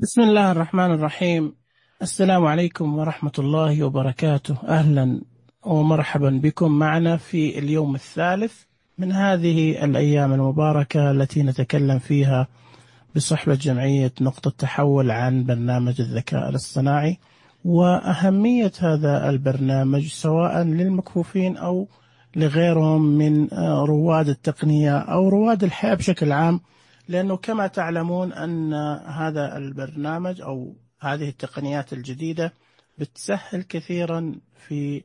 بسم الله الرحمن الرحيم. السلام عليكم ورحمة الله وبركاته. أهلا ومرحبا بكم معنا في اليوم الثالث من هذه الأيام المباركة التي نتكلم فيها بصحبة جمعية نقطة تحول عن برنامج الذكاء الاصطناعي وأهمية هذا البرنامج سواء للمكفوفين أو لغيرهم من رواد التقنية أو رواد الحياة بشكل عام، لأنه كما تعلمون أن هذا البرنامج أو هذه التقنيات الجديدة بتسهل كثيرا في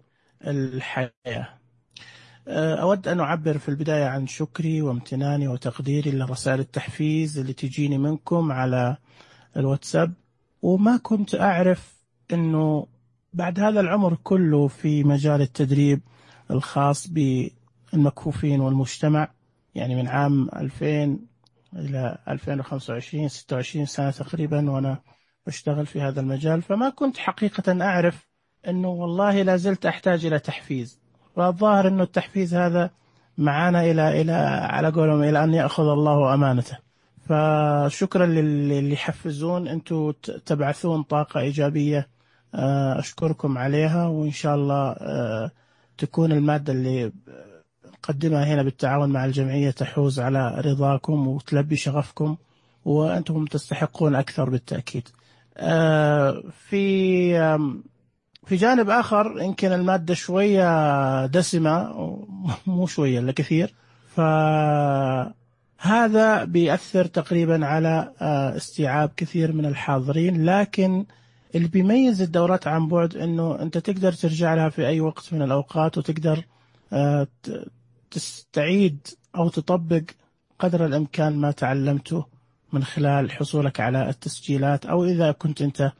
الحياة. أود أن أعبر في البداية عن شكري وامتناني وتقديري لرسائل التحفيز اللي تجيني منكم على الواتساب، وما كنت أعرف أنه بعد هذا العمر كله في مجال التدريب الخاص بالمكفوفين والمجتمع، يعني من عام 2000 إلى 2025 26 سنة تقريبا وأنا أشتغل في هذا المجال، فما كنت حقيقة أعرف أنه والله لا زلت أحتاج إلى تحفيز، والظاهر أنه التحفيز هذا معنا إلى على قولهم إلى أن يأخذ الله أمانته. فشكرا للي يحفزون، أنتم تبعثون طاقة إيجابية، أشكركم عليها، وإن شاء الله تكون المادة اللي نقدمها هنا بالتعاون مع الجمعية تحوز على رضاكم وتلبي شغفكم، وأنتم تستحقون أكثر بالتأكيد. في جانب آخر يمكن المادة شوية دسمة، مو شوية إلا كثير، فهذا بيأثر تقريبا على استيعاب كثير من الحاضرين، لكن اللي بيميز الدورات عن بعد أنه أنت تقدر ترجع لها في أي وقت من الأوقات، وتقدر تستعيد أو تطبق قدر الإمكان ما تعلمته من خلال حصولك على التسجيلات، أو إذا كنت أنت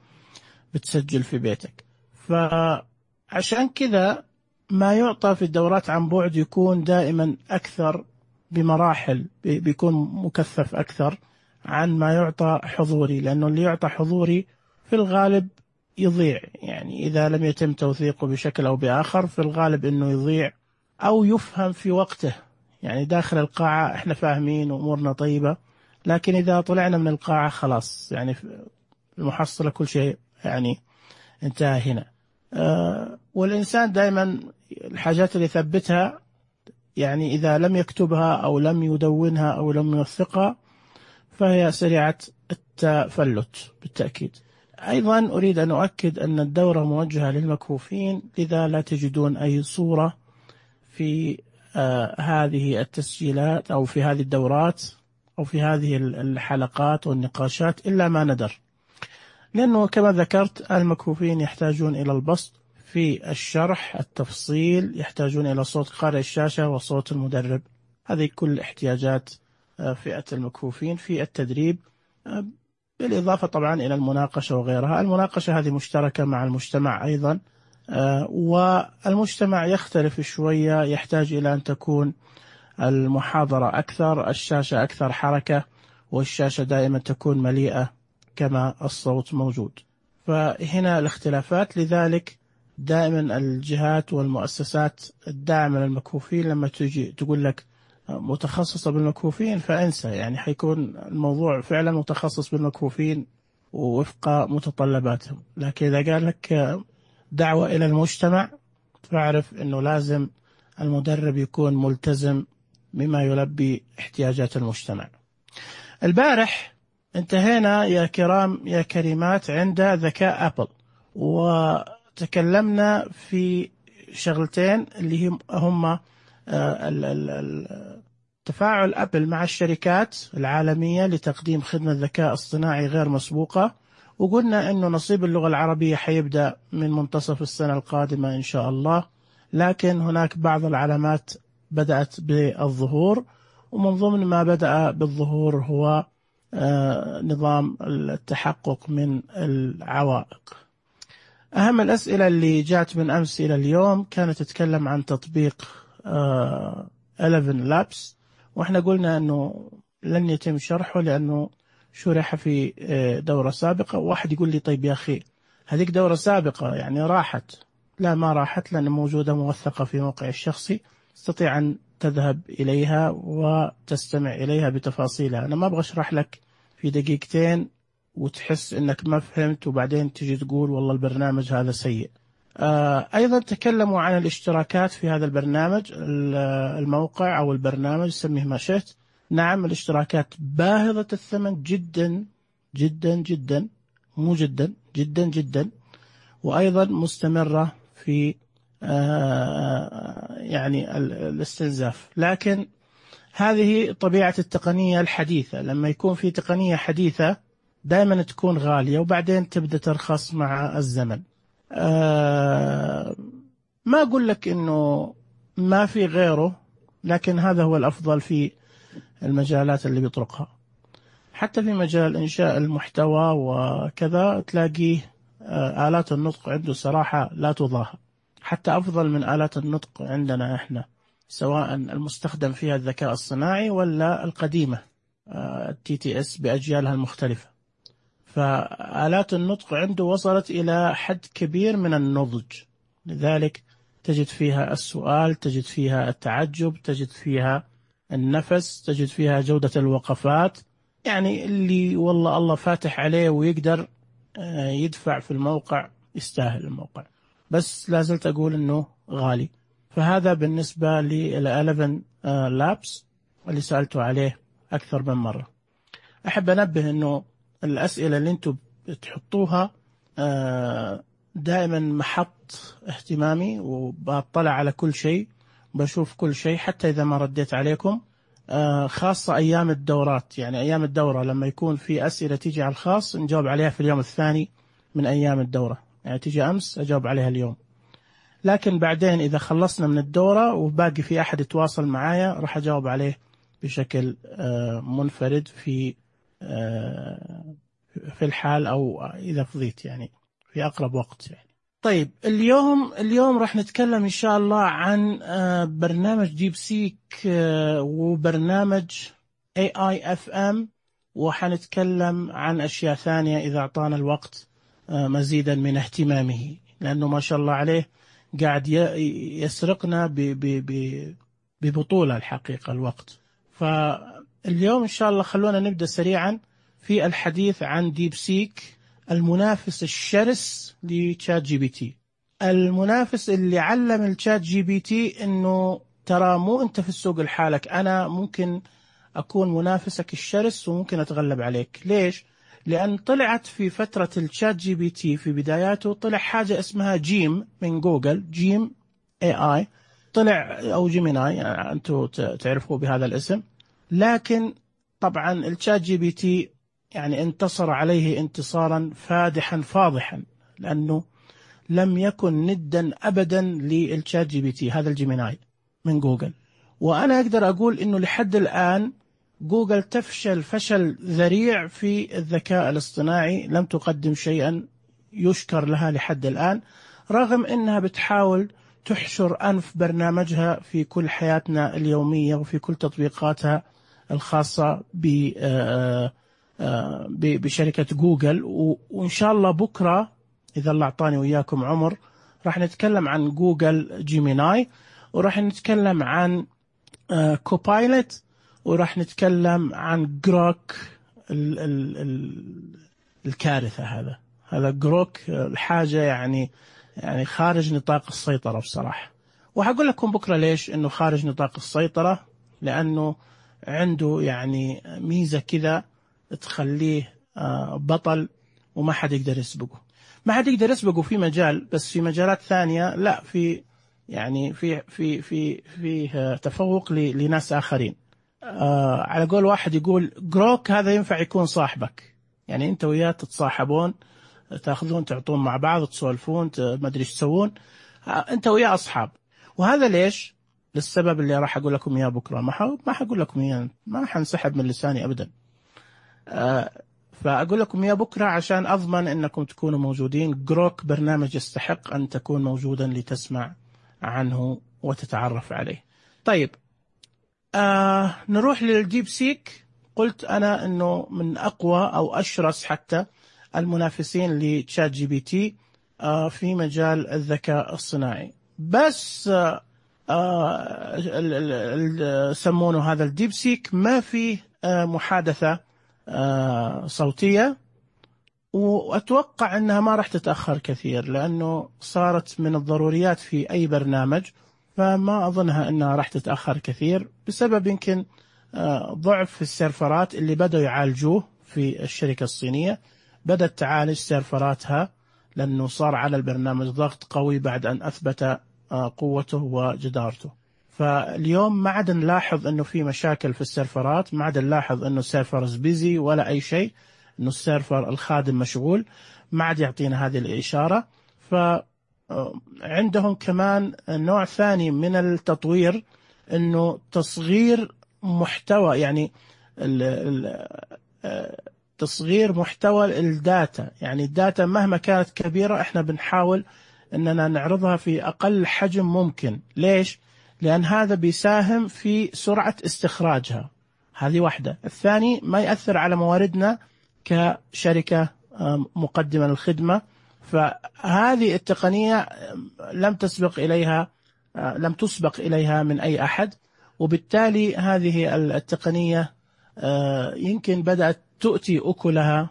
بتسجل في بيتك. فعشان كذا ما يعطى في الدورات عن بعد يكون دائما أكثر بمراحل، بيكون مكثف أكثر عن ما يعطى حضوري، لأنه اللي يعطى حضوري في الغالب يضيع، يعني إذا لم يتم توثيقه بشكل أو بآخر في الغالب أنه يضيع أو يفهم في وقته. يعني داخل القاعة إحنا فاهمين وأمورنا طيبة، لكن إذا طلعنا من القاعة خلاص يعني المحصلة كل شيء يعني انتهى هنا. والإنسان دائما الحاجات اللي يثبتها، يعني إذا لم يكتبها أو لم يدونها أو لم يوثقها فهي سريعة التفلت بالتأكيد. أيضا أريد أن أؤكد أن الدورة موجهة للمكفوفين، لذا لا تجدون أي صورة في هذه التسجيلات أو في هذه الدورات أو في هذه الحلقات والنقاشات إلا ما ندر، لأنه كما ذكرت المكفوفين يحتاجون إلى البسط في الشرح، التفصيل، يحتاجون إلى صوت قارئ الشاشة وصوت المدرب. هذه كل احتياجات فئة المكفوفين في التدريب، بالإضافة طبعا إلى المناقشة وغيرها. المناقشة هذه مشتركة مع المجتمع أيضا، والمجتمع يختلف شوية، يحتاج إلى أن تكون المحاضرة أكثر، الشاشة أكثر حركة، والشاشة دائما تكون مليئة كما الصوت موجود. فهنا الاختلافات، لذلك دائما الجهات والمؤسسات الداعمة للمكفوفين لما تجي تقول لك متخصصة بالمكفوفين فانسى، يعني حيكون الموضوع فعلا متخصص بالمكفوفين ووفق متطلباتهم، لكن إذا قال لك دعوة إلى المجتمع فاعرف أنه لازم المدرب يكون ملتزم بما يلبي احتياجات المجتمع. البارح انتهينا يا كرام يا كريمات عند ذكاء أبل، وتكلمنا في شغلتين اللي هم تفاعل أبل مع الشركات العالمية لتقديم خدمة ذكاء اصطناعي غير مسبوقة، وقلنا أنه نصيب اللغة العربية حيبدأ من منتصف السنة القادمة إن شاء الله، لكن هناك بعض العلامات بدأت بالظهور، ومن ضمن ما بدأ بالظهور هو نظام التحقق من العوائق. أهم الأسئلة اللي جاءت من أمس إلى اليوم كانت تتكلم عن تطبيق 11 لابس، وإحنا قلنا أنه لن يتم شرحه لأنه شرح في دورة سابقة. واحد يقول لي طيب يا أخي هذيك دورة سابقة يعني راحت. لا، ما راحت، لأن موجودة موثقة في موقع الشخصي، تستطيع أن تذهب إليها وتستمع إليها بتفاصيلها. أنا ما أبغى أشرح لك في دقيقتين وتحس إنك ما فهمت وبعدين تجي تقول والله البرنامج هذا سيء. أيضا تكلموا عن الاشتراكات في هذا البرنامج. الموقع أو البرنامج سميه ما شئت. نعم، الاشتراكات باهظة الثمن جدا جدا جدا، مو جدا جدا جدا، وأيضا مستمرة في يعني الاستنزاف. لكن هذه طبيعة التقنية الحديثة، لما يكون في تقنية حديثة دائما تكون غالية وبعدين تبدأ ترخص مع الزمن. ما أقول لك إنه ما في غيره، لكن هذا هو الأفضل في المجالات اللي بيطرقها. حتى في مجال إنشاء المحتوى وكذا تلاقيه آلات النطق عنده صراحة لا تضاهى، حتى أفضل من آلات النطق عندنا إحنا، سواء المستخدم فيها الذكاء الصناعي ولا القديمة TTS بأجيالها المختلفة. فآلات النطق عنده وصلت إلى حد كبير من النضج، لذلك تجد فيها السؤال، تجد فيها التعجب، تجد فيها النفس، تجد فيها جودة الوقفات. يعني اللي والله الله فاتح عليه ويقدر يدفع في الموقع يستاهل الموقع، بس لازلت أقول إنه غالي. فهذا بالنسبة لل11 لابس اللي سألته عليه أكثر من مرة. أحب أنبه إنه الأسئلة اللي أنتم بتحطوها دائما محط اهتمامي، وبطلع على كل شيء، بشوف كل شيء حتى إذا ما رديت عليكم. خاصة أيام الدورات، يعني أيام الدورة لما يكون في أسئلة تيجي على الخاص نجاوب عليها في اليوم الثاني من أيام الدورة، يعني تيجي أمس أجاوب عليها اليوم. لكن بعدين إذا خلصنا من الدورة وباقي في أحد يتواصل معايا راح أجاوب عليه بشكل منفرد في الحال، أو إذا فضيت يعني في أقرب وقت يعني. طيب اليوم راح نتكلم إن شاء الله عن برنامج ديب سيك وبرنامج AIFM، وحنتكلم عن أشياء ثانية إذا أعطانا الوقت مزيدا من اهتمامه، لأنه ما شاء الله عليه قاعد يسرقنا ببطولة الحقيقة الوقت. فاليوم إن شاء الله خلونا نبدأ سريعا في الحديث عن ديب سيك، المنافس الشرس لتشات جي بي تي، المنافس اللي علم الشات جي بي تي إنه ترى مو أنت في السوق لحالك، أنا ممكن أكون منافسك الشرس وممكن أتغلب عليك. ليش؟ لأن طلعت في فترة الشات جي بي تي في بداياته طلع حاجة اسمها جيم من جوجل، جيم AI طلع، أو جيميناي يعني أنتوا تعرفوا بهذا الاسم. لكن طبعا الشات جي بي تي يعني انتصر عليه انتصارا فادحا فاضحا، لأنه لم يكن ندا أبدا للشات جي بي تي هذا الجيميناي من جوجل. وأنا أقدر أقول إنه لحد الآن جوجل تفشل فشل ذريع في الذكاء الاصطناعي، لم تقدم شيئا يشكر لها لحد الآن، رغم أنها بتحاول تحشر أنف برنامجها في كل حياتنا اليومية وفي كل تطبيقاتها الخاصة بشركة جوجل. وإن شاء الله بكرة إذا الله أعطاني وإياكم عمر راح نتكلم عن جوجل جيميناي، وراح نتكلم عن كوبايلوت، وراح نتكلم عن جروك الكارثة. هذا جروك الحاجة يعني خارج نطاق السيطرة بصراحة. وهقول لكم بكرة ليش إنه خارج نطاق السيطرة، لأنه عنده يعني ميزة كذا تخليه بطل وما حد يقدر يسبقه. ما حد يقدر يسبقه في مجال، بس في مجالات ثانية لا، في يعني في تفوق لناس آخرين. على قول واحد يقول جروك هذا ينفع يكون صاحبك، يعني أنت وياه تتصاحبون، تأخذون تعطون مع بعض، تسولفون، ما أدري إيش تسوون، أنت وياه أصحاب. وهذا ليش؟ للسبب اللي راح أقول لكم إياه بكرة، ما حقول لكم إياه، ما حنسحب من لساني أبدا. فأقول لكم إياه بكرة عشان أضمن أنكم تكونوا موجودين. جروك برنامج يستحق أن تكون موجودا لتسمع عنه وتتعرف عليه. طيب نروح للديب سيك. قلت أنا أنه من أقوى أو أشرس حتى المنافسين لتشات جي بي تي في مجال الذكاء الصناعي، بس سمونه هذا الديب سيك ما فيه محادثة صوتية، وأتوقع أنها ما راح تتأخر كثير، لأنه صارت من الضروريات في أي برنامج، فما أظنها أنها راح تتأخر كثير، بسبب يمكن ضعف السيرفرات اللي بدأوا يعالجوه في الشركة الصينية. بدأت تعالج سيرفراتها لأنه صار على البرنامج ضغط قوي بعد أن أثبت قوته وجدارته. فاليوم ما عاد نلاحظ أنه في مشاكل في السيرفرات، ما عاد نلاحظ أنه السيرفرز بيزي ولا أي شيء، أنه السيرفر الخادم مشغول، ما عاد يعطينا هذه الإشارة. فعندهم كمان نوع ثاني من التطوير، أنه تصغير محتوى، يعني تصغير محتوى الداتا. يعني الداتا مهما كانت كبيرة احنا بنحاول أننا نعرضها في أقل حجم ممكن. ليش؟ لأن هذا بيساهم في سرعة استخراجها، هذه واحدة. الثاني ما يأثر على مواردنا كشركة مقدمة للخدمة. فهذه التقنية لم تسبق إليها من أي أحد، وبالتالي هذه التقنية يمكن بدأت تؤتي أكلها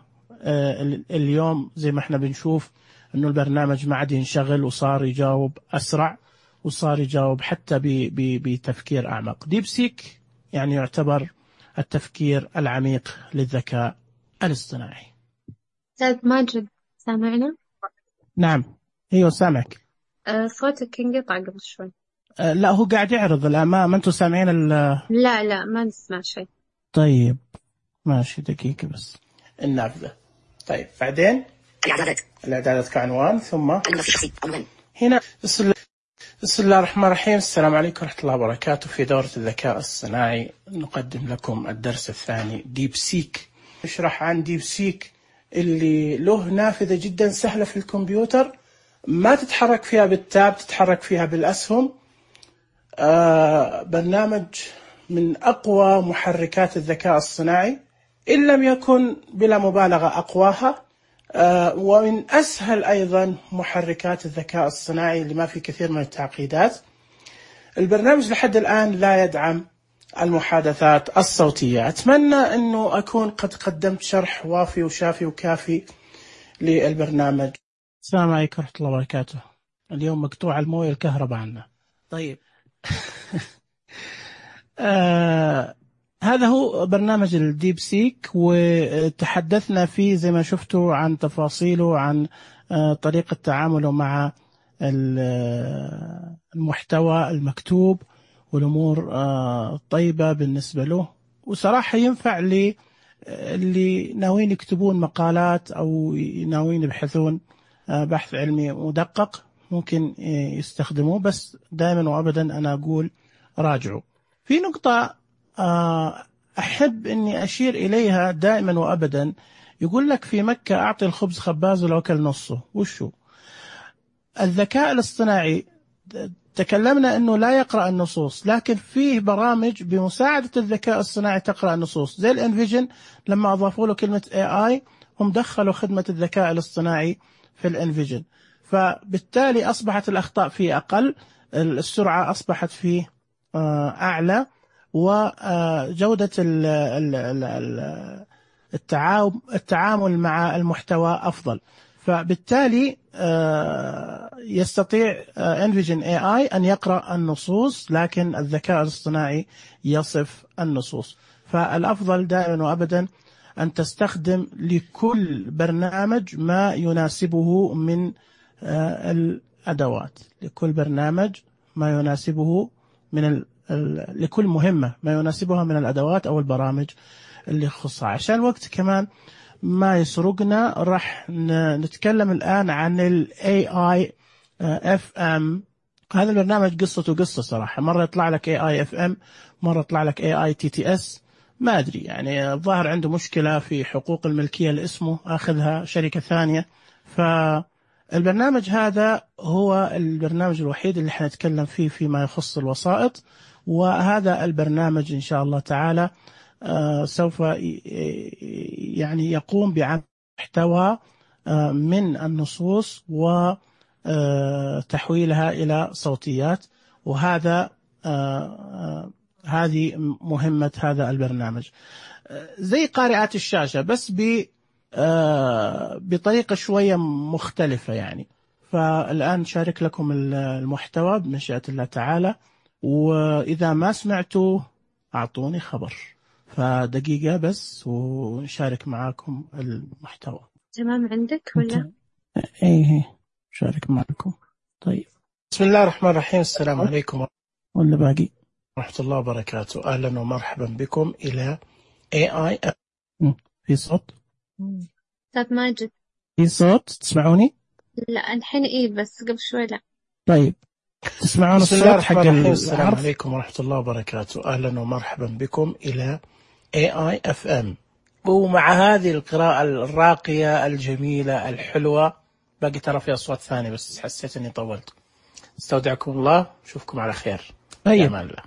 اليوم. زي ما احنا بنشوف أنه البرنامج ما عاد ينشغل، وصار يجاوب أسرع، وصار يجاوب حتى بتفكير أعمق. ديب سيك يعني يعتبر التفكير العميق للذكاء الاصطناعي. أستاذ ماجد، سامعنا؟ نعم، ايوه سامعك. صوتك انقطع قبل شوي. لا، هو قاعد يعرض الأمام، أنتم سامعين لا ما نسمع شيء. طيب ماشي، دقيقة بس النافذة. طيب بعدين الإعدادات كعنوان، ثم هنا بسم الله الرحمن الرحيم. السلام عليكم ورحمة الله وبركاته. في دورة الذكاء الصناعي نقدم لكم الدرس الثاني، ديب سيك. نشرح عن ديب سيك اللي له نافذة جدا سهلة في الكمبيوتر، ما تتحرك فيها بالتاب، تتحرك فيها بالأسهم. برنامج من أقوى محركات الذكاء الصناعي، إن لم يكن بلا مبالغة أقواها، ومن أسهل أيضا محركات الذكاء الصناعي اللي ما في كثير من التعقيدات. البرنامج لحد الآن لا يدعم المحادثات الصوتية. أتمنى أنه أكون قد قدمت شرح وافي وشافي وكافي للبرنامج. السلام عليكم ورحمة الله وبركاته. اليوم مقطوع المويه الكهرباء عنا. طيب هذا هو برنامج الديب سيك، وتحدثنا فيه زي ما شفتوا عن تفاصيله، عن طريقة تعامله مع المحتوى المكتوب والأمور طيبة بالنسبة له. وصراحة ينفع اللي ناويين يكتبون مقالات أو ناويين يبحثون بحث علمي مدقق، ممكن يستخدموه. بس دائما وأبدا أنا أقول راجعوا. في نقطة أحب أني أشير إليها دائما وأبدا. يقول لك في مكة أعطي الخبز خباز ولو أكل نصه. وشو الذكاء الاصطناعي؟ تكلمنا أنه لا يقرأ النصوص، لكن فيه برامج بمساعدة الذكاء الصناعي تقرأ النصوص، زي الانفيجن. لما أضافوا له كلمة AI هم دخلوا خدمة الذكاء الاصطناعي في الانفيجن، فبالتالي أصبحت الأخطاء فيه أقل، السرعة أصبحت فيه أعلى، وجودة التعامل مع المحتوى أفضل. فبالتالي يستطيع انفيجن AI أن يقرأ النصوص، لكن الذكاء الاصطناعي يصف النصوص. فالأفضل دائما وأبدا أن تستخدم لكل برنامج ما يناسبه من الأدوات، لكل برنامج ما يناسبه من لكل مهمة ما يناسبها من الأدوات أو البرامج اللي يخصها. عشان الوقت كمان ما يسرقنا، راح نتكلم الآن عن ال AI FM. هذا البرنامج قصته قصة صراحة، مرة يطلع لك AI FM، مرة يطلع لك AI TTS، ما أدري، يعني الظاهر عنده مشكلة في حقوق الملكية لاسمه، أخذها شركة ثانية. فالبرنامج هذا هو البرنامج الوحيد اللي حنتكلم فيه فيما يخص الوسائط. وهذا البرنامج إن شاء الله تعالى سوف يعني يقوم بعمل محتوى من النصوص وتحويلها إلى صوتيات، وهذا هذه مهمة هذا البرنامج. زي قارئات الشاشة، بس بطريقة شوية مختلفة يعني. فالآن شارك لكم المحتوى بمشيئة الله تعالى، وإذا ما سمعتوا أعطوني خبر، فدقيقة بس ونشارك معاكم المحتوى. تمام عندك ولا؟ إيه شارك معكم. طيب، بسم الله الرحمن الرحيم. السلام عليكم ولا باقي ورحمة الله وبركاته. أهلا ومرحبا بكم إلى AI. في صوت؟ أستاذ ماجد في صوت تسمعوني؟ لا الحين إيه، بس قبل شوي لا. طيب تسمعون الصوت حق العرض؟ السلام عليكم ورحمة الله وبركاته. أهلا ومرحبا بكم إلى AI FM. ومع هذه القراءة الراقية الجميلة الحلوة، باقي ترى في أصوات ثانية بس حسيت أني طولت. استودعكم الله، أشوفكم على خير. أمان الله.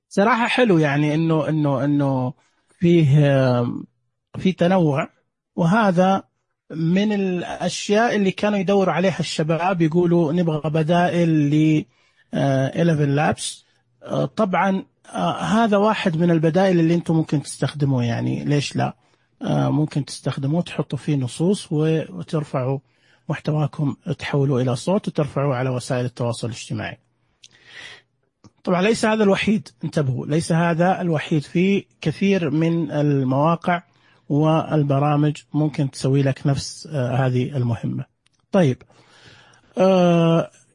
صراحة حلو يعني إنه فيه تنوع، وهذا من الأشياء اللي كانوا يدوروا عليها الشباب، يقولوا نبغى بدائل ل 11 لابس. طبعا هذا واحد من البدائل اللي انتم ممكن تستخدموه، يعني ليش لا؟ ممكن تستخدموه، تحطوا فيه نصوص وترفعوا محتواكم، تحولوا إلى صوت وترفعوه على وسائل التواصل الاجتماعي. طبعا ليس هذا الوحيد، انتبهوا، ليس هذا الوحيد، في كثير من المواقع والبرامج ممكن تسوي لك نفس هذه المهمة. طيب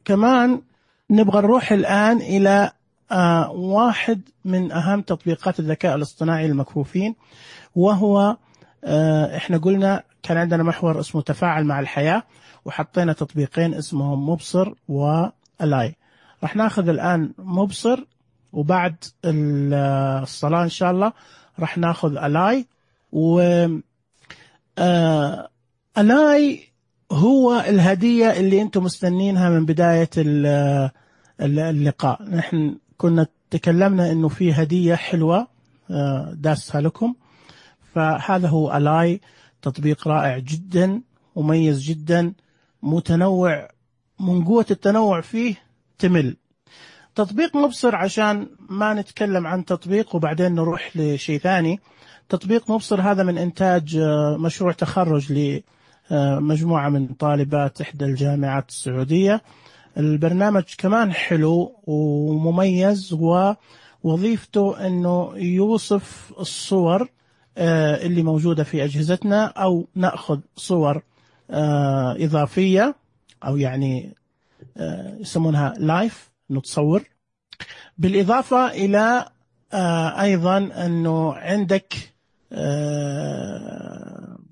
كمان نبغى نروح الآن إلى واحد من أهم تطبيقات الذكاء الاصطناعي المكفوفين، وهو احنا قلنا كان عندنا محور اسمه تفاعل مع الحياة، وحطينا تطبيقين اسمهم مبصر وألاي. راح ناخذ الآن مبصر، وبعد الصلاة إن شاء الله راح ناخذ ألاي. ألاي هو الهدية اللي أنتم مستنينها من بداية اللقاء. نحن كنا تكلمنا إنه في هدية حلوة داسها لكم، فهذا هو ألاي. تطبيق رائع جدا، مميز جدا، متنوع، من قوة التنوع فيه تمل. تطبيق مبصر، عشان ما نتكلم عن تطبيق وبعدين نروح لشيء ثاني، تطبيق مبصر هذا من إنتاج مشروع تخرج لمجموعة من طالبات إحدى الجامعات السعودية. البرنامج كمان حلو ومميز، ووظيفته أنه يوصف الصور اللي موجودة في أجهزتنا، أو نأخذ صور إضافية، أو يعني يسمونها لايف، نتصور. بالإضافة إلى أيضا أنه عندك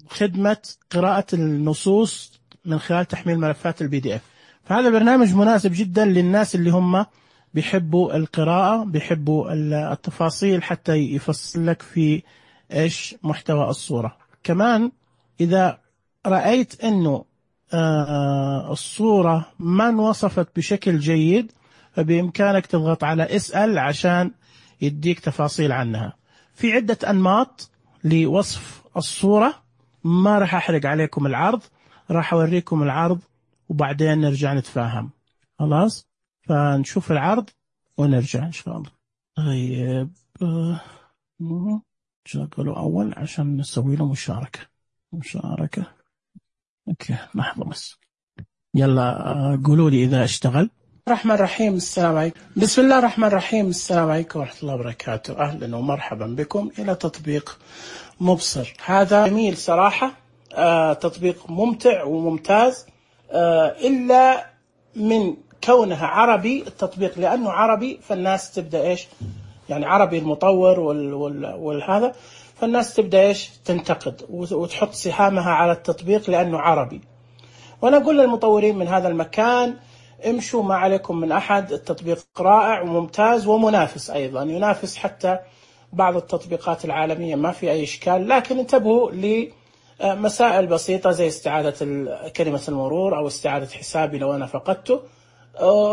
خدمة قراءة النصوص من خلال تحميل ملفات PDF. فهذا برنامج مناسب جدا للناس اللي هم بيحبوا القراءة، بيحبوا التفاصيل، حتى يفصل لك في إيش محتوى الصورة. كمان إذا رأيت أنه الصورة ما انوصفت بشكل جيد، فبإمكانك تضغط على اسأل عشان يديك تفاصيل عنها. في عدة أنماط لوصف الصورة، ما راح أحرق عليكم العرض، راح أوريكم العرض وبعدين نرجع نتفاهم. خلاص، فنشوف العرض ونرجع إن شاء الله. طيب شغلوا أول عشان نسوي له مشاركة. أوكي، لحظة بس. يلا قولوا لي إذا اشتغل. الرحمن الرحيم. السلام عليكم. بسم الله الرحمن الرحيم. السلام عليكم ورحمة الله وبركاته. أهلا ومرحبا بكم إلى تطبيق مبصر. هذا جميل صراحة، تطبيق ممتع وممتاز، إلا من كونها عربي. التطبيق لأنه عربي، فالناس تبدأ إيش يعني، عربي المطور والهذا، فالناس تبدأ إيش تنتقد وتحط سهامها على التطبيق لأنه عربي. وأنا أقول للمطورين من هذا المكان، امشوا ما عليكم من أحد، التطبيق رائع وممتاز ومنافس أيضا، ينافس حتى بعض التطبيقات العالمية، ما في أي إشكال. لكن انتبهوا لمسائل بسيطة زي استعادة كلمة المرور أو استعادة حسابي لو أنا فقدته،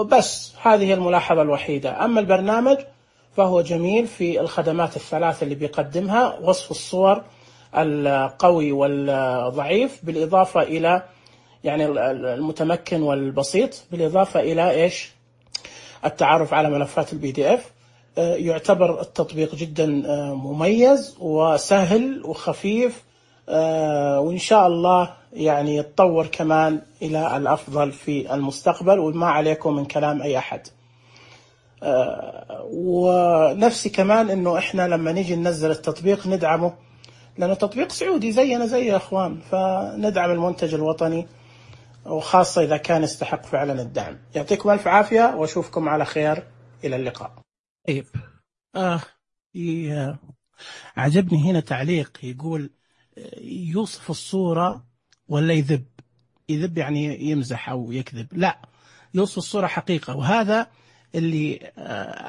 بس هذه الملاحظة الوحيدة. أما البرنامج فهو جميل في الخدمات الثلاث اللي بيقدمها: وصف الصور القوي والضعيف، بالإضافة إلى يعني المتمكن والبسيط، بالإضافة إلى إيش التعرف على ملفات PDF. يعتبر التطبيق جدا مميز وسهل وخفيف، وإن شاء الله يعني يتطور كمان إلى الأفضل في المستقبل، وما عليكم من كلام أي أحد. ونفسي كمان إنه إحنا لما نيجي ننزل التطبيق ندعمه، لأنه تطبيق سعودي زينا زي يا أخوان، فندعم المنتج الوطني، وخاصة إذا كان يستحق فعلا الدعم. يعطيكم ألف عافية وأشوفكم على خير، إلى اللقاء. طيب عجبني هنا تعليق يقول يوصف الصورة ولا يذب. يذب يعني يمزح أو يكذب، لا، يوصف الصورة حقيقة. وهذا اللي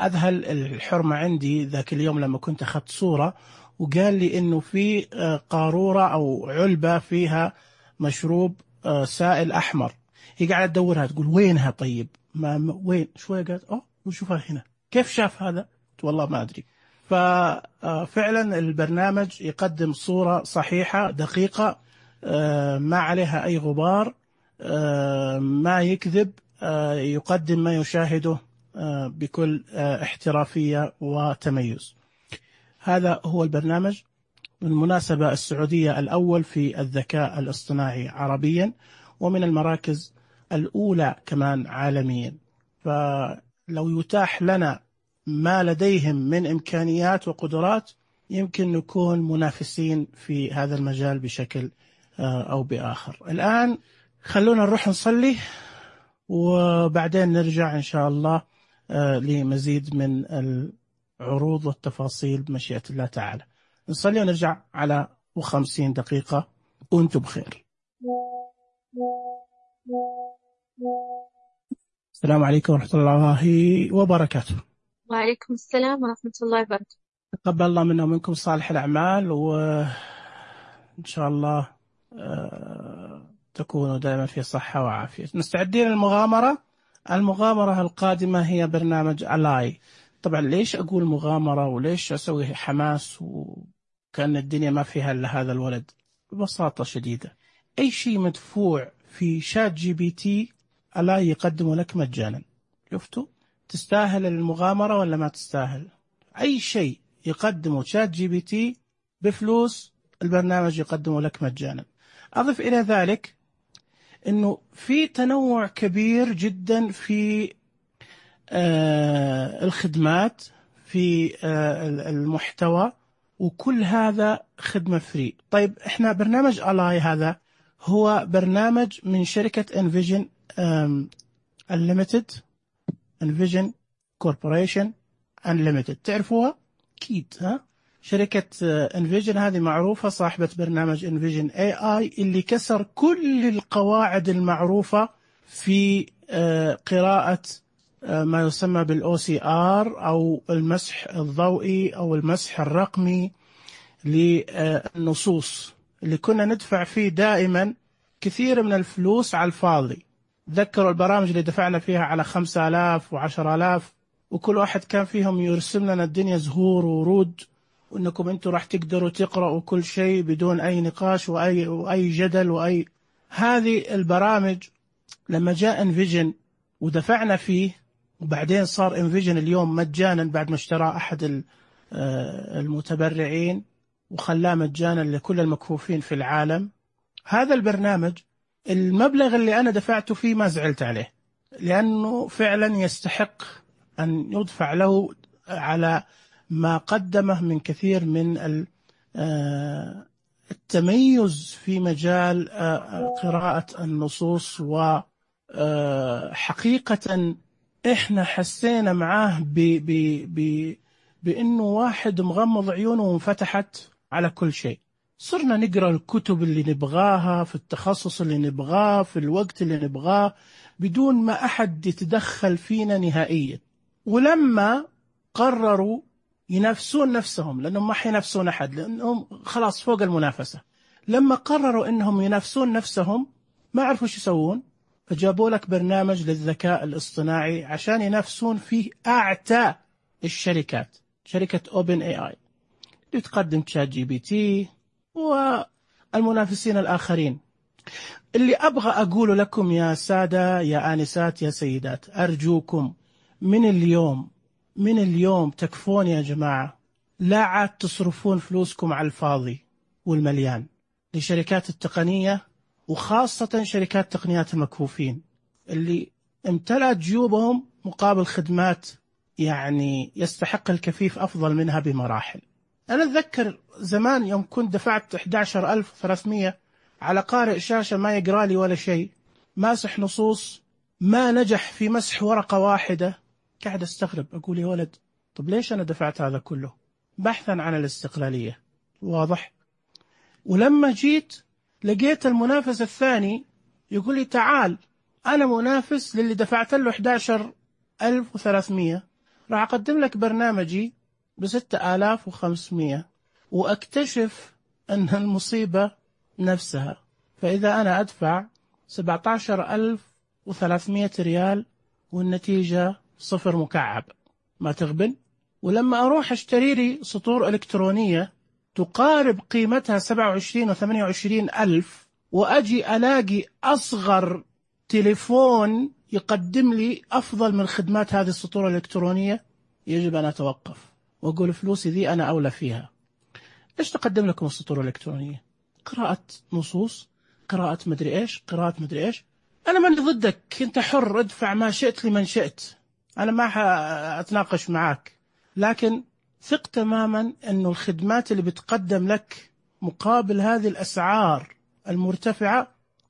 أذهل الحرمة عندي ذاك اليوم لما كنت أخذت صورة، وقال لي إنه في قارورة أو علبة فيها مشروب سائل أحمر. هي قاعدة تدورها تقول وينها؟ طيب ما وين؟ شوية قالت وشوفها هنا. كيف شاف هذا؟ والله ما أدري. ففعلا البرنامج يقدم صورة صحيحة دقيقة، ما عليها أي غبار، ما يكذب، يقدم ما يشاهده بكل احترافية وتميز. هذا هو البرنامج. بالمناسبة السعودية الأول في الذكاء الاصطناعي عربيا، ومن المراكز الأولى كمان عالميا. فلو يتاح لنا ما لديهم من إمكانيات وقدرات، يمكن نكون منافسين في هذا المجال بشكل أو بآخر. الآن خلونا نروح نصلي، وبعدين نرجع إن شاء الله لمزيد من العروض والتفاصيل بمشيئة الله تعالى. نصلي ونرجع على 50 دقيقة، وأنتم بخير. السلام عليكم ورحمة الله وبركاته. وعليكم السلام ورحمة الله وبركاته. تقبل الله منا ومنكم صالح الأعمال، وإن شاء الله تكونوا دائما في صحة وعافية. مستعدين للمغامرة. المغامرة القادمة هي برنامج ألاي. طبعا ليش أقول مغامرة وليش أسوي حماس وكأن الدنيا ما فيها إلا هذا الولد؟ ببساطة شديدة، أي شيء مدفوع في شات جي بي تي ألاي يقدمه لك مجانا. شفتوا؟ تستاهل المغامرة ولا ما تستاهل؟ أي شيء يقدمه شات جي بي تي بفلوس، البرنامج يقدمه لك مجانا. أضف إلى ذلك أنه في تنوع كبير جدا في الخدمات، في المحتوى، وكل هذا خدمة فري. طيب إحنا برنامج ألاي هذا هو برنامج من شركة انفيجن Unlimited، انفيجن كوربوريشن Unlimited، تعرفوها أكيد ها؟ شركة انفيجن هذه معروفة، صاحبة برنامج انفيجن اي اي اللي كسر كل القواعد المعروفة في قراءة ما يسمى بالاو سي ار او المسح الضوئي او المسح الرقمي للنصوص، اللي كنا ندفع فيه دائما كثير من الفلوس على الفاضي. ذكروا البرامج اللي دفعنا فيها على 5000 و10000، وكل واحد كان فيهم يرسم لنا الدنيا زهور ورود، وانكم انتم راح تقدروا تقرأوا كل شيء بدون اي نقاش واي جدل واي. هذه البرامج لما جاء انفيجن ودفعنا فيه، وبعدين صار انفيجن اليوم مجانا بعد ما اشترى احد المتبرعين وخلاه مجانا لكل المكفوفين في العالم. هذا البرنامج المبلغ اللي انا دفعته فيه ما زعلت عليه، لانه فعلا يستحق ان يدفع له على ما قدمه من كثير من التميز في مجال قراءة النصوص. وحقيقة إحنا حسينا معاه بأنه واحد مغمض عيونه وانفتحت على كل شيء. صرنا نقرأ الكتب اللي نبغاها في التخصص اللي نبغاه في الوقت اللي نبغاه بدون ما أحد يتدخل فينا نهائيا. ولما قرروا ينافسون نفسهم، لأنهم ما حينافسون أحد لأنهم خلاص فوق المنافسة، لما قرروا أنهم ينافسون نفسهم ما عرفوا شو يسوون، فجابوا لك برنامج للذكاء الاصطناعي عشان ينافسون فيه أعتى الشركات، شركة أوبن اي اي اللي تقدم شات جي بي تي والمنافسين الآخرين. اللي أبغى أقول لكم يا سادة يا آنسات يا سيدات، أرجوكم من اليوم من اليوم تكفون يا جماعة، لا عاد تصرفون فلوسكم على الفاضي والمليان لشركات التقنية، وخاصة شركات تقنيات المكفوفين اللي امتلأت جيوبهم مقابل خدمات يعني يستحق الكفيف أفضل منها بمراحل. أنا أتذكر زمان يوم كنت دفعت 11,300 على قارئ شاشة ما يقرأ لي ولا شيء، ماسح نصوص، ما نجح في مسح ورقة واحدة. قاعد أستغرب، أقول يا ولد طب ليش أنا دفعت هذا كله؟ بحثا عن الاستقلالية، واضح. ولما جيت لقيت المنافس الثاني يقول لي تعال أنا منافس للي دفعت له 11,300، راح أقدم لك برنامجي ب6,500، وأكتشف أن المصيبة نفسها. فإذا أنا أدفع 17,300 ريال والنتيجة 0 مكعب، ما تغبن. ولما أروح أشتري لي سطور إلكترونية تقارب قيمتها 27 و 28 ألف، وأجي ألاقي أصغر تليفون يقدم لي أفضل من خدمات هذه السطور الإلكترونية، يجب أن أتوقف وأقول فلوسي ذي أنا أولى فيها. إيش تقدم لكم السطور الإلكترونية؟ قراءة نصوص، قراءة مدري إيش، قراءة مدري إيش. أنا من ضدك، أنت حر، ادفع ما شئت لمن شئت، أنا ما أتناقش معك، لكن ثق تماما أنه الخدمات اللي بتقدم لك مقابل هذه الأسعار المرتفعة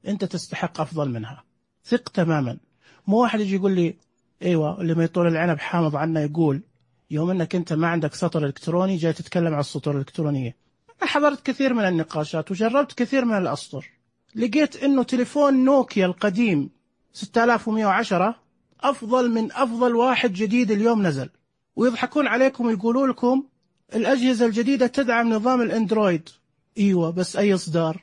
أنت تستحق أفضل منها. ثق تماما. مو واحد يجي يقول لي أيوة اللي ما يطول العنب حامض عنا، يقول يوم أنك أنت ما عندك سطر إلكتروني جاي تتكلم عن السطور الإلكترونية. أنا حضرت كثير من النقاشات وجربت كثير من الأسطر، لقيت أنه تليفون نوكيا القديم 6110 أفضل من أفضل واحد جديد اليوم نزل، ويضحكون عليكم ويقولوا لكم الأجهزة الجديدة تدعم نظام الأندرويد. إيوة بس أي إصدار؟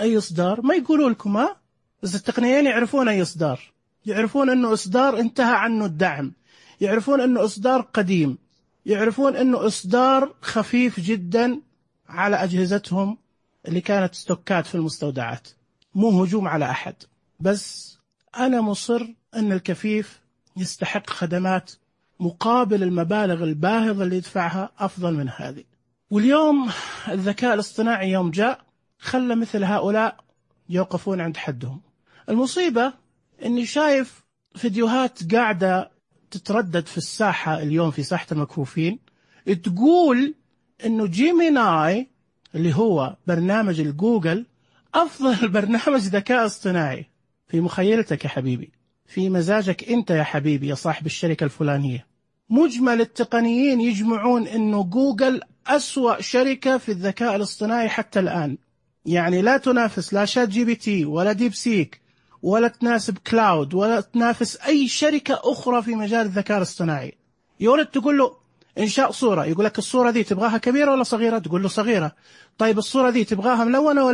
أي إصدار؟ ما يقولوا لكم ها؟ بس التقنيين يعرفون أي إصدار، يعرفون أنه إصدار انتهى عنه الدعم، يعرفون أنه إصدار قديم، يعرفون أنه إصدار خفيف جدا على أجهزتهم اللي كانت ستوكات في المستودعات. مو هجوم على أحد، بس أنا مصر أن الكفيف يستحق خدمات مقابل المبالغ الباهظة اللي يدفعها أفضل من هذه. واليوم الذكاء الاصطناعي يوم جاء خلى مثل هؤلاء يوقفون عند حدهم. المصيبة أني شايف فيديوهات قاعدة تتردد في الساحة اليوم، في ساحة المكفوفين، تقول أنه جيميناي اللي هو برنامج الجوجل أفضل برنامج ذكاء اصطناعي. في مخيلتك يا حبيبي، في مزاجك أنت يا حبيبي يا صاحب الشركة الفلانية، مجمل التقنيين يجمعون أنه جوجل أسوأ شركة في الذكاء الاصطناعي حتى الآن. يعني لا تنافس لا شات جي بي تي ولا ديب سيك ولا تناسب كلاود ولا تنافس أي شركة أخرى في مجال الذكاء الاصطناعي. يولد تقول له إنشاء صورة، يقول لك الصورة دي تبغاها كبيرة ولا صغيرة؟ تقول له صغيرة. طيب الصورة دي تبغاها ملونة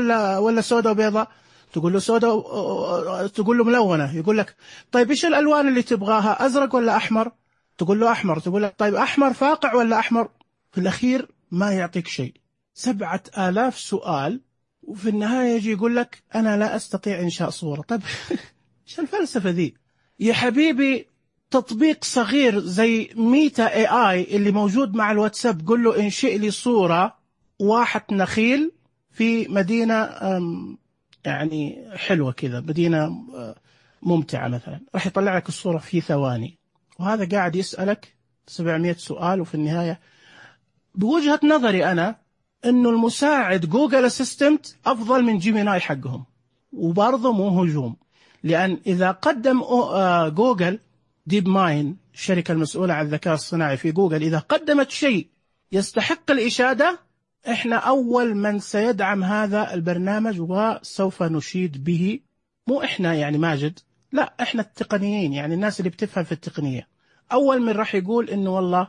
ولا سوداء وبيضاء؟ تقول له سوداء، تقول له ملونة. يقول لك طيب إيش الألوان اللي تبغاها، أزرق ولا أحمر؟ تقول له أحمر. تقول لك طيب أحمر فاقع ولا أحمر؟ في الأخير ما يعطيك شيء، 7,000 سؤال، وفي النهاية يجي يقول لك أنا لا أستطيع إنشاء صورة. طيب إيش الفلسفة ذي يا حبيبي؟ تطبيق صغير زي ميتا اي اي اللي موجود مع الواتساب، قل له انشئ لي صورة واحة نخيل في مدينة يعني حلوة كذا، مدينة ممتعة مثلا، راح يطلع لك الصورة في ثواني. وهذا قاعد يسألك 700 سؤال، وفي النهاية بوجهة نظري أنا إنه المساعد جوجل أسيستنت أفضل من جيميناي حقهم. وبرضه مو هجوم، لأن إذا قدم جوجل ديب ماين، الشركة المسؤولة عن الذكاء الصناعي في جوجل، إذا قدمت شيء يستحق الإشادة، إحنا أول من سيدعم هذا البرنامج وسوف نشيد به. مو إحنا يعني ماجد، لا، إحنا التقنيين، يعني الناس اللي بتفهم في التقنية، أول من راح يقول إنه والله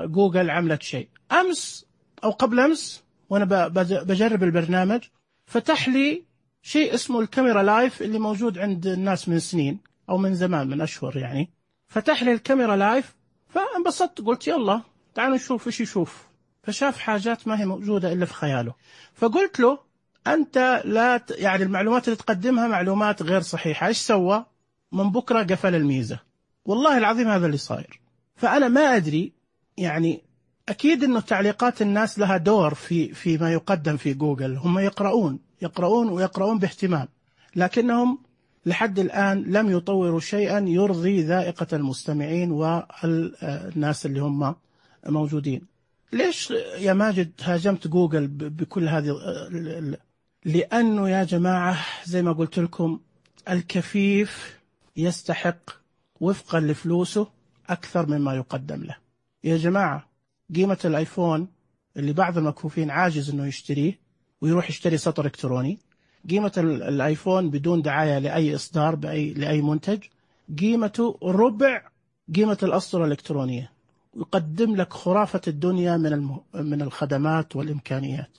جوجل عملت شيء. أمس أو قبل أمس وأنا بجرب البرنامج، فتح لي شيء اسمه الكاميرا لايف اللي موجود عند الناس من سنين أو من زمان، من أشهر يعني. فتح لي الكاميرا لايف، فانبسطت، قلت يلا تعالوا نشوف إيش يشوف. فشاف حاجات ما هي موجودة إلا في خياله. فقلت له أنت لا يعني المعلومات اللي تقدمها معلومات غير صحيحة. إيش سوى؟ من بكرة قفل الميزة. والله العظيم هذا اللي صاير. فأنا ما أدري، يعني أكيد أنه تعليقات الناس لها دور في ما يقدم في جوجل. هم يقرؤون باهتمام، لكنهم لحد الآن لم يطوروا شيئا يرضي ذائقة المستمعين والناس اللي هم موجودين. ليش يا ماجد هاجمت جوجل بكل هذه؟ لأنه يا جماعة زي ما قلت لكم، الكفيف يستحق وفقا لفلوسه أكثر مما يقدم له. يا جماعة، قيمة الآيفون اللي بعض المكفوفين عاجز أنه يشتريه ويروح يشتري سطر إلكتروني، قيمة الآيفون بدون دعاية لأي إصدار لأي منتج قيمته ربع قيمة الأسطر الإلكترونية، يقدم لك خرافة الدنيا من الخدمات والإمكانيات.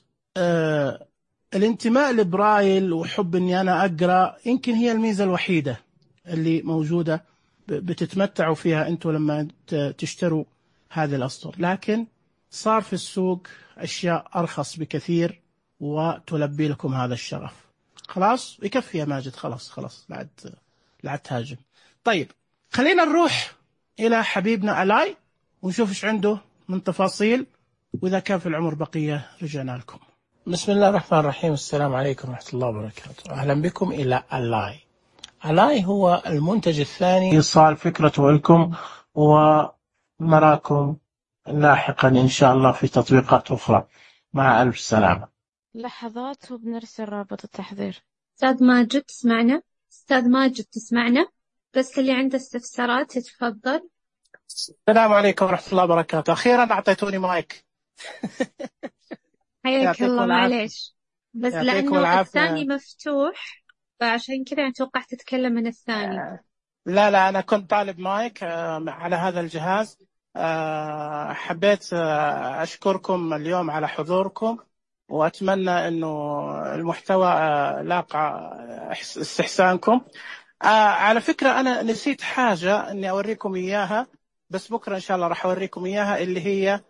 الانتماء لبرايل وحب أني أنا أقرأ يمكن هي الميزة الوحيدة اللي موجودة بتتمتعوا فيها أنتوا لما تشتروا هذه الأسطر، لكن صار في السوق أشياء أرخص بكثير وتلبي لكم هذا الشرف. خلاص يكفي يا ماجد، خلاص لا تهاجم. طيب خلينا نروح إلى حبيبنا ألاي ونشوف إيش عنده من تفاصيل، وإذا كان في العمر بقية رجعنا لكم. بسم الله الرحمن الرحيم. السلام عليكم ورحمة الله وبركاته. أهلا بكم إلى ألاي. ألاي هو المنتج الثاني إيصال فكرته لكم ونراكم لاحقا إن شاء الله في تطبيقات أخرى. مع ألف سلامة. لحظات وبنرسل رابط التحضير. أستاذ ماجد تسمعنا؟ بس اللي عنده استفسارات يتفضل. السلام عليكم ورحمة الله وبركاته. أخيرا أعطيتوني مايك. حياك الله. معليش بس لأنه الثاني مفتوح فعشان كذا أتوقع تتكلم من الثاني. لا أنا كنت طالب مايك على هذا الجهاز. حبيت أشكركم اليوم على حضوركم، وأتمنى أنه المحتوى لاقى استحسانكم. على فكرة أنا نسيت حاجة أني أوريكم إياها، بس بكرة إن شاء الله راح أوريكم إياها، اللي هي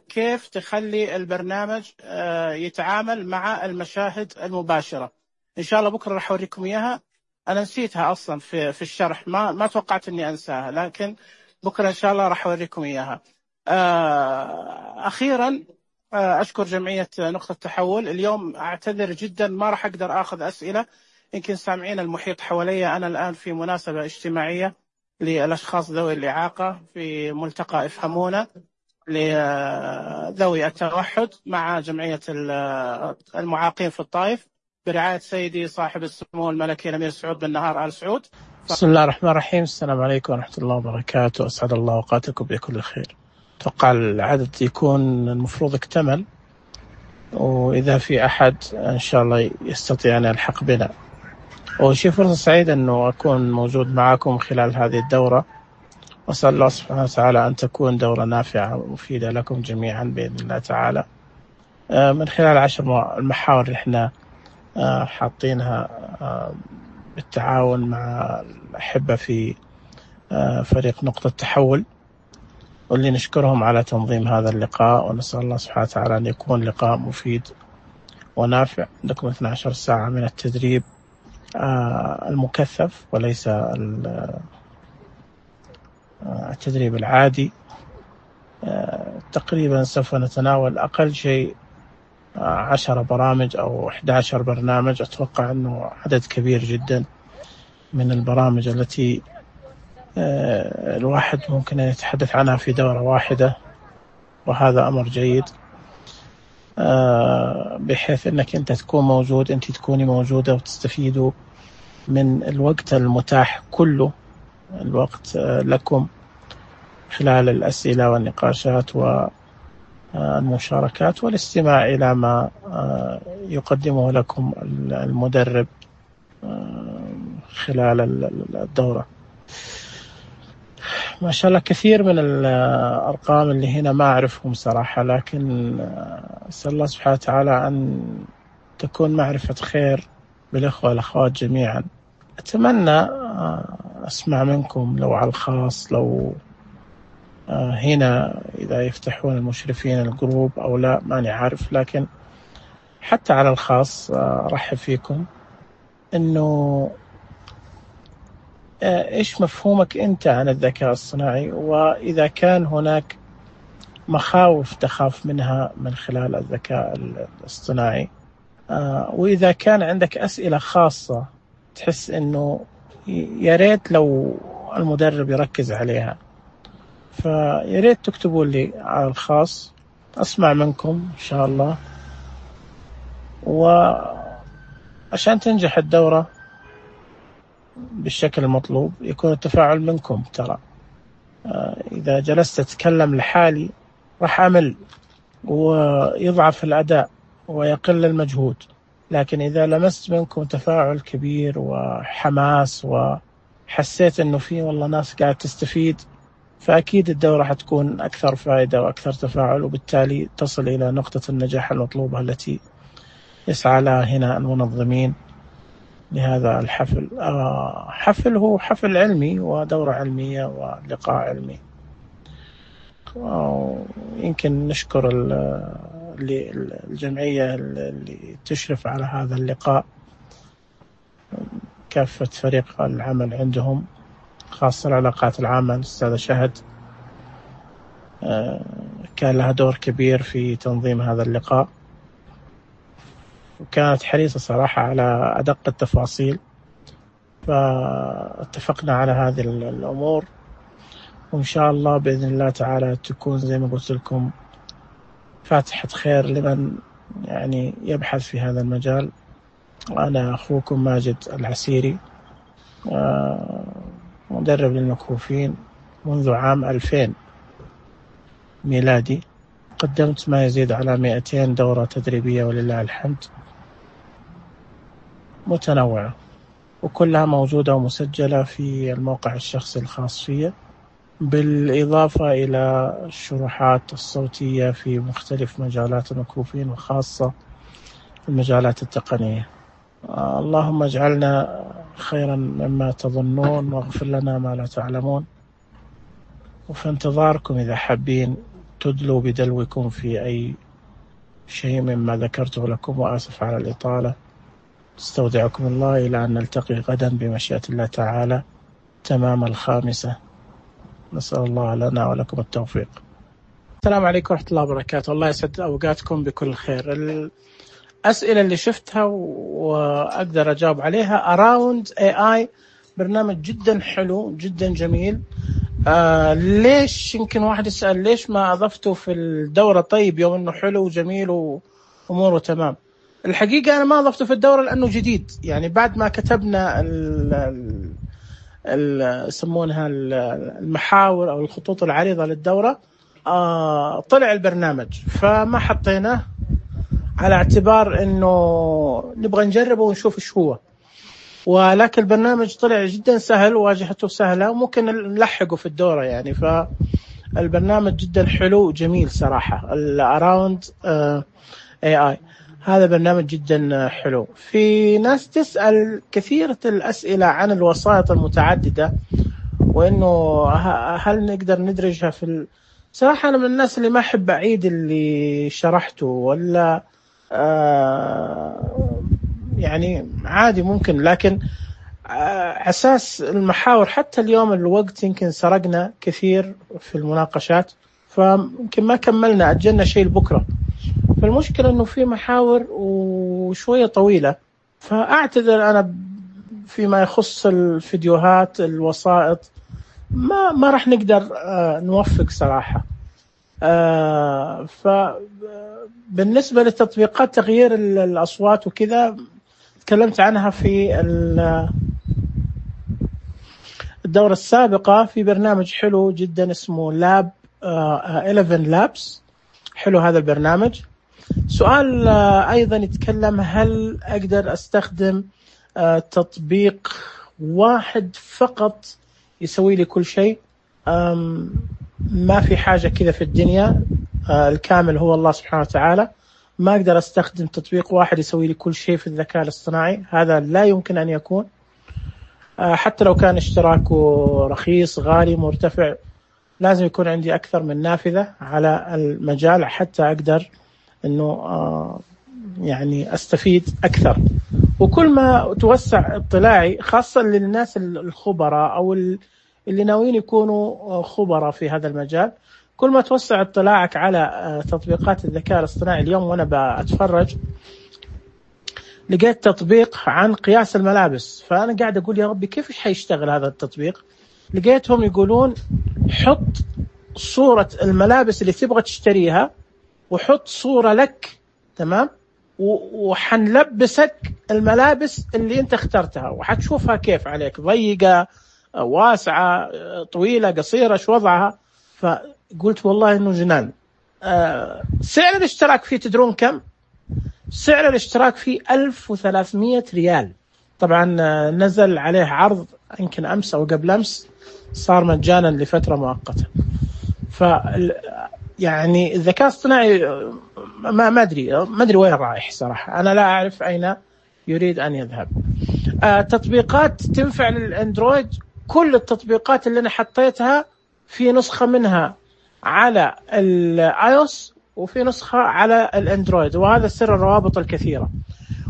كيف تخلي البرنامج يتعامل مع المشاهد المباشرة. إن شاء الله بكرة راح أوريكم إياها. أنا نسيتها أصلا في الشرح، ما توقعت أني أنساها، لكن بكرة إن شاء الله راح أوريكم إياها. أخيرا أشكر جمعية نقطة تحول. اليوم أعتذر جدا، ما راح أقدر أخذ أسئلة. يمكن سامعين المحيط حوالي. أنا الآن في مناسبة اجتماعية للأشخاص ذوي الإعاقة في ملتقى افهمونا لذوي التوحد مع جمعية المعاقين في الطائف برعاية سيدي صاحب السمو الملكي الأمير سعود بن نهار آل سعود. بسم الله الرحمن الرحيم. السلام عليكم ورحمة الله وبركاته. أسعد الله أوقاتكم بكل خير. أتوقع العدد يكون المفروض اكتمل، وإذا في أحد إن شاء الله يستطيع أن يلحق بنا. وشي فرصة سعيدة أنه أكون موجود معكم خلال هذه الدورة، وأسأل الله سبحانه وتعالى أن تكون دورة نافعة ومفيدة لكم جميعا بإذن الله تعالى، من خلال 10 المحاور اللي احنا حاطينها بالتعاون مع الأحبة في فريق نقطة تحول، واللي نشكرهم على تنظيم هذا اللقاء. ونسأل الله سبحانه وتعالى أن يكون لقاء مفيد ونافع. عندكم 12 ساعة من التدريب المكثف وليس التدريب العادي. تقريبا سوف نتناول أقل شيء 10 برامج أو 11 برنامج. أتوقع أنه عدد كبير جدا من البرامج التي الواحد ممكن أن يتحدث عنها في دورة واحدة، وهذا أمر جيد، بحيث أنك أنت تكون موجود، أنت تكوني موجودة، وتستفيدوا من الوقت المتاح كله، الوقت لكم خلال الأسئلة والنقاشات والمشاركات والاستماع إلى ما يقدمه لكم المدرب خلال الدورة. ما شاء الله كثير من الأرقام اللي هنا ما أعرفهم صراحة، لكن أسأل الله سبحانه وتعالى أن تكون معرفة خير بالإخوة والأخوات جميعا. أتمنى أسمع منكم لو على الخاص، لو هنا إذا يفتحون المشرفين الجروب أو لا ماني عارف، لكن حتى على الخاص أرحب فيكم إنه إيش مفهومك أنت عن الذكاء الصناعي، وإذا كان هناك مخاوف تخاف منها من خلال الذكاء الاصطناعي، وإذا كان عندك أسئلة خاصة تحس إنه يا ريت لو المدرب يركز عليها، فيا ريت تكتبوا لي على الخاص، أسمع منكم إن شاء الله. وعشان تنجح الدورة بالشكل المطلوب يكون التفاعل منكم. ترى إذا جلست أتكلم لحالي راح أمل ويضعف الأداء ويقل المجهود، لكن إذا لمست منكم تفاعل كبير وحماس وحسيت أنه في والله ناس قاعد تستفيد، فأكيد الدورة حتكون أكثر فائدة وأكثر تفاعل، وبالتالي تصل إلى نقطة النجاح المطلوبة التي يسعى لها هنا المنظمين لهذا الحفل. حفل هو حفل علمي ودورة علمية ولقاء علمي. يمكن نشكر الجمعية اللي تشرف على هذا اللقاء، كافة فريق العمل عندهم، خاصة العلاقات العامة الأستاذة شهد كان لها دور كبير في تنظيم هذا اللقاء، وكانت حريصة صراحة على أدق التفاصيل، فاتفقنا على هذه الأمور، وإن شاء الله بإذن الله تعالى تكون زي ما قلت لكم فاتحة خير لمن يعني يبحث في هذا المجال. أنا أخوكم ماجد العسيري، مدرب للمكفوفين منذ عام 2000 ميلادي. قدمت ما يزيد على 200 دورة تدريبية ولله الحمد، متنوعة، وكلها موجودة ومسجلة في الموقع الشخصي الخاص فيه، بالإضافة إلى الشروحات الصوتية في مختلف مجالات المكفوفين، وخاصة المجالات التقنية. اللهم اجعلنا خيرا مما تظنون، واغفر لنا ما لا تعلمون. وفي انتظاركم إذا حابين تدلوا بدلوكم في أي شيء مما ذكرته لكم، وآسف على الإطالة. استودعكم الله إلى أن نلتقي غدا بمشيئة الله تعالى تمام 5. نسأل الله لنا ولكم التوفيق. السلام عليكم ورحمة الله وبركاته. الله يسعد أوقاتكم بكل خير. الأسئلة اللي شفتها وأقدر أجاوب عليها Around AI برنامج جدا حلو جدا جميل. ليش يمكن واحد يسأل ليش ما أضفته في الدورة؟ طيب يوم أنه حلو وجميل وأموره تمام. الحقيقة أنا ما أضفته في الدورة لأنه جديد، يعني بعد ما كتبنا يسمونها المحاور أو الخطوط العريضة للدورة طلع البرنامج، فما حطيناه على اعتبار أنه نبغى نجربه ونشوف إيش هو. ولكن البرنامج طلع جدا سهل وواجهته سهلة وممكن نلحقه في الدورة يعني. فالبرنامج جدا حلو وجميل صراحة. Around AI هذا برنامج جدا حلو. في ناس تسأل كثيرة الأسئلة عن الوسائط المتعددة، وإنه هل نقدر ندرجها في صراحة أنا من الناس اللي ما أحب أعيد اللي شرحته، ولا يعني عادي ممكن، لكن أساس المحاور حتى اليوم الوقت يمكن سرقنا كثير في المناقشات، فيمكن ما كملنا، أجلنا شيء لبكرة. فالمشكلة أنه في محاور وشوية طويلة، فأعتذر أنا فيما يخص الفيديوهات الوسائط ما راح نقدر نوفق صراحة. فبالنسبة للتطبيقات تغيير الأصوات وكذا تكلمت عنها في الدورة السابقة في برنامج حلو جدا اسمه لاب 11 لابس. حلو هذا البرنامج. سؤال أيضا يتكلم هل أقدر أستخدم تطبيق واحد فقط يسوي لي كل شيء؟ ما في حاجة كذا في الدنيا، الكامل هو الله سبحانه وتعالى. ما أقدر أستخدم تطبيق واحد يسوي لي كل شيء في الذكاء الاصطناعي، هذا لا يمكن أن يكون. حتى لو كان اشتراكه رخيص غالي مرتفع، لازم يكون عندي أكثر من نافذة على المجال حتى أقدر أنه يعني أستفيد أكثر. وكل ما توسع اطلاعي خاصة للناس الخبراء أو اللي ناويين يكونوا خبراء في هذا المجال، كل ما توسع اطلاعك على تطبيقات الذكاء الاصطناعي. اليوم وأنا بتفرج لقيت تطبيق عن قياس الملابس، فأنا قاعد أقول يا ربي كيف حيشتغل هذا التطبيق؟ لقيتهم يقولون حط صورة الملابس اللي تبغى تشتريها وحط صورة لك، تمام، وحنلبسك الملابس اللي انت اخترتها وحتشوفها كيف عليك، ضيقة واسعة طويلة قصيرة شو وضعها. فقلت والله انه جنان. سعر الاشتراك فيه تدرون كم؟ سعر الاشتراك فيه 1300 ريال. طبعا نزل عليه عرض يمكن أمس أو قبل أمس، صار مجانا لفترة مؤقتة. يعني الذكاء الاصطناعي ما أدري وين رايح صراحة، أنا لا أعرف أين يريد أن يذهب. تطبيقات تنفع للأندرويد، كل التطبيقات اللي أنا حطيتها في نسخة منها على الآيوس وفي نسخة على الأندرويد، وهذا سر الروابط الكثيرة.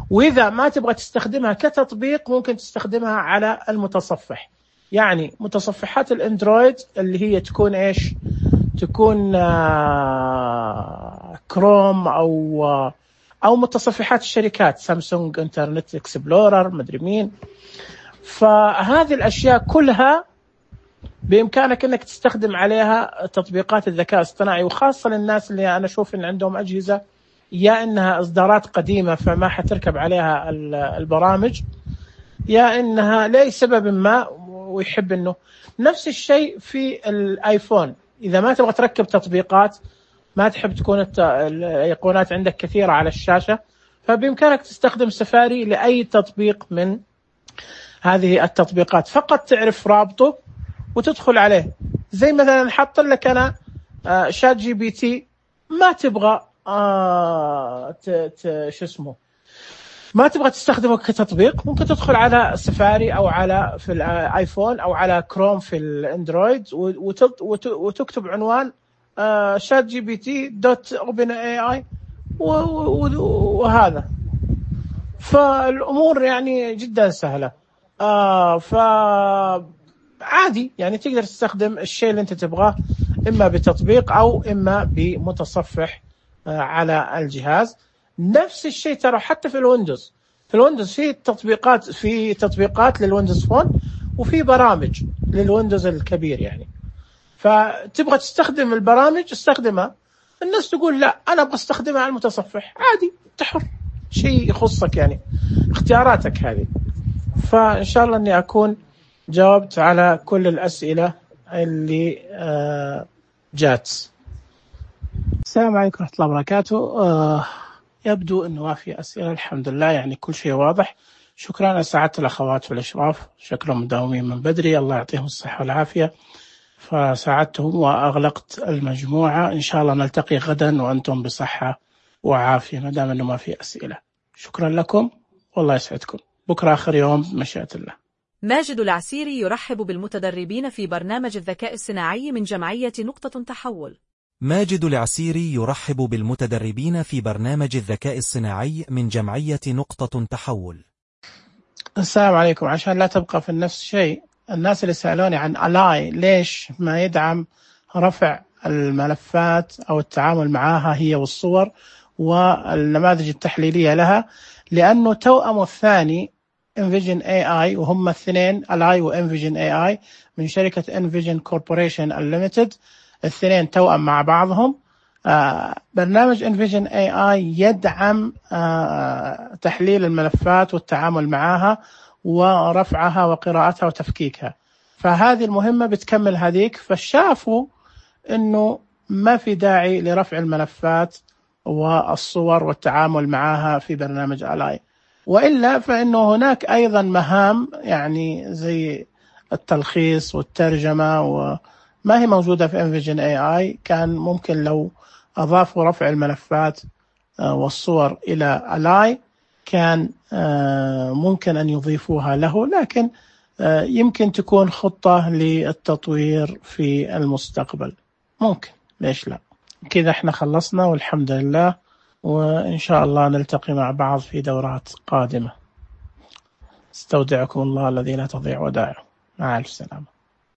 وإذا ما تبغى تستخدمها كتطبيق ممكن تستخدمها على المتصفح. يعني متصفحات الأندرويد اللي هي تكون إيش؟ تكون كروم أو متصفحات الشركات، سامسونج انترنت اكسبلورر مدري مين. فهذه الأشياء كلها بإمكانك أنك تستخدم عليها تطبيقات الذكاء الاصطناعي، وخاصة للناس اللي أنا أشوف إن عندهم أجهزة يا إنها إصدارات قديمة فما حتركب عليها البرامج، يا إنها لأي سبب ما ويحب إنه. نفس الشيء في الآيفون، إذا ما تبغى تركب تطبيقات، ما تحب تكون الأيقونات عندك كثيرة على الشاشة، فبإمكانك تستخدم سفاري لأي تطبيق من هذه التطبيقات، فقط تعرف رابطه وتدخل عليه. زي مثلا حط لك أنا شات جي بي تي، ما تبغى شو اسمه، ما تبغى تستخدمه كتطبيق، ممكن تدخل على سفاري أو على في الآيفون أو على كروم في الأندرويد وتكتب عنوان شات جي بي تي دوت اوبن اي اي وهذا. فالأمور يعني جدا سهلة. فعادي يعني تقدر تستخدم الشيء اللي أنت تبغاه، إما بتطبيق أو إما بمتصفح على الجهاز. نفس الشيء ترى حتى في الويندوز، في تطبيقات للويندوز فون، وفي برامج للويندوز الكبير يعني. فتبغى تستخدم البرامج استخدمها. الناس تقول لا أنا أبغى استخدمها على المتصفح، عادي أنت حر، شيء يخصك يعني، اختياراتك هذه. فإن شاء الله أني أكون جاوبت على كل الأسئلة اللي جات. السلام عليكم ورحمة الله وبركاته. يبدو أنه ما في أسئلة الحمد لله، يعني كل شيء واضح. شكرا على سعادة الأخوات في الإشراف، شكلهم مداومين من بدري، الله يعطيهم الصحة والعافية. فساعدتهم وأغلقت المجموعة. إن شاء الله نلتقي غدا وأنتم بصحة وعافية ما دام أنه ما في أسئلة. شكرا لكم والله يسعدكم. بكرة آخر يوم بمشيئة الله. ماجد العسيري يرحب بالمتدربين في برنامج الذكاء الصناعي من جمعية نقطة تحول. ماجد العسيري يرحب بالمتدربين في برنامج الذكاء الصناعي من جمعية نقطة تحول. السلام عليكم. عشان لا تبقى في نفس الشيء، الناس اللي سألوني عن ألاي ليش ما يدعم رفع الملفات أو التعامل معها هي والصور والنماذج التحليلية لها، لأنه توأمه الثاني Envision AI، وهم الاثنين ألاي وEnvision AI من شركة Envision Corporation Unlimited، الاثنين توأم مع بعضهم. برنامج Envision AI يدعم تحليل الملفات والتعامل معها ورفعها وقراءتها وتفكيكها، فهذه المهمة بتكمل هذيك. فشافوا إنه ما في داعي لرفع الملفات والصور والتعامل معها في برنامج ألاي، وإلا فإنه هناك أيضا مهام يعني زي التلخيص والترجمة وما هي موجودة في Envision AI. كان ممكن لو أضافوا رفع الملفات والصور إلى ألاي كان ممكن أن يضيفوها له، لكن يمكن تكون خطة للتطوير في المستقبل، ممكن، ليش لا. كذا احنا خلصنا والحمد لله، وإن شاء الله نلتقي مع بعض في دورات قادمة. استودعكم الله الذي لا تضيع ودائعه. مع ألف سلامة.